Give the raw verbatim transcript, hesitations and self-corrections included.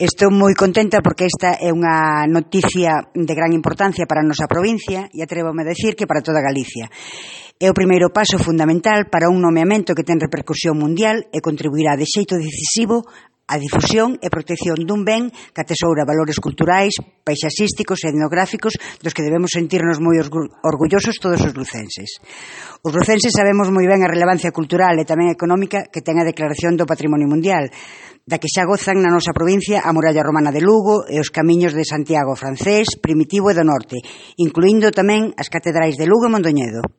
Estou moi contenta porque esta é unha noticia de gran importancia para a nosa provincia e atrévome a decir que para toda Galicia. É o primeiro paso fundamental para un nomeamento que ten repercusión mundial e contribuirá de xeito decisivo a difusión e protección dun ben que atesoura valores culturais, paisaxísticos e etnográficos dos que debemos sentirnos moi orgullosos todos os lucenses. Os lucenses sabemos moi ben a relevancia cultural e tamén económica que ten a Declaración do Patrimonio Mundial, da que xa gozan na nosa provincia a Muralla Romana de Lugo e os camiños de Santiago francés, Primitivo e do Norte, incluindo tamén as catedrais de Lugo e Mondoñedo.